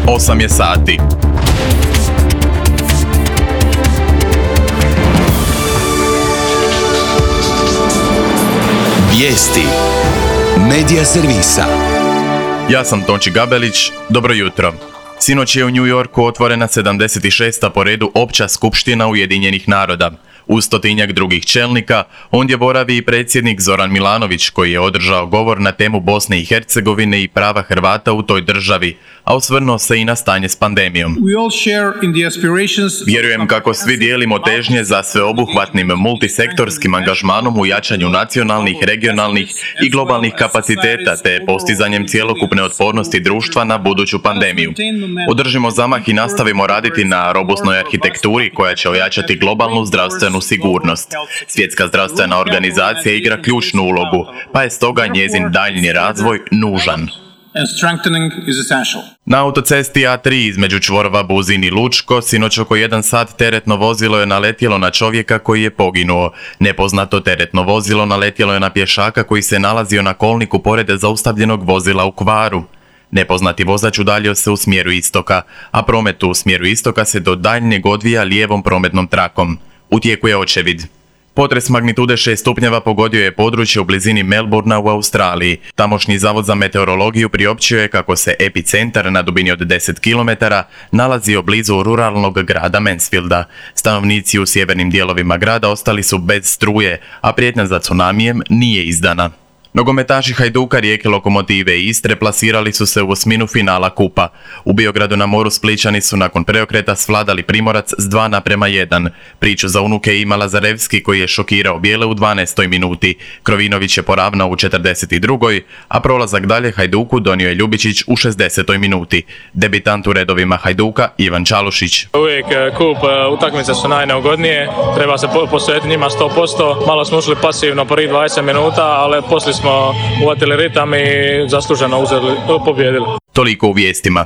8 je sati. Vijesti Medija servisa. Ja sam Tonči Gabelić, dobro jutro. Sinoć je u New Yorku otvorena 76. po redu Opća skupština Ujedinjenih naroda. Uz 100-tinjak drugih čelnika, ondje boravi i predsjednik Zoran Milanović, koji je održao govor na temu Bosne i Hercegovine i prava Hrvata u toj državi, a osvrnuo se i na stanje s pandemijom. Vjerujem kako svi dijelimo težnje za sveobuhvatnim multisektorskim angažmanom u jačanju nacionalnih, regionalnih i globalnih kapaciteta te postizanjem cjelokupne otpornosti društva na buduću pandemiju. Održimo zamah i nastavimo raditi na robustnoj arhitekturi koja će ojačati globalnu zdravstvenu sigurnost. Svjetska zdravstvena organizacija igra ključnu ulogu, pa je stoga njezin daljnji razvoj nužan. Na autocesti A3 između čvorova Buzin i Lučko sinoć oko 1 sat teretno vozilo je naletjelo na čovjeka koji je poginuo. Nepoznato teretno vozilo naletjelo je na pješaka koji se nalazio na kolniku pored zaustavljenog vozila u Hvaru. Nepoznati vozač udaljio se u smjeru istoka, a promet u smjeru istoka se do daljnjeg odvija lijevom prometnom trakom. U tijeku je očevid. Potres magnitude 6 stupnjeva pogodio je područje u blizini Melbourna u Australiji. Tamošnji zavod za meteorologiju priopćio je kako se epicentar na dubini od 10 km nalazio blizu ruralnog grada Mansfielda. Stanovnici u sjevernim dijelovima grada ostali su bez struje, a prijetnja za tsunamijem nije izdana. Nogometaši Hajduka, Rijeke, Lokomotive i Istre plasirali su se u osminu finala kupa. U Biogradu na moru Splićani su nakon preokreta svladali Primorac s 2:1. Priču za unuke je imala Lazarevski koji je šokirao bijele u 12. minuti. Krovinović je poravnao u 42. a prolazak dalje Hajduku donio je Ljubičić u 60. minuti. Debitant u redovima Hajduka Ivan Čalušić. Uvijek kup utakmice su najneugodnije, treba se posvetiti njima 100%. Malo smo ušli pasivno prvih 20 minuta, ali poslije smo uvatili ritam i zasluženo pobijedili. Toliko u vijestima.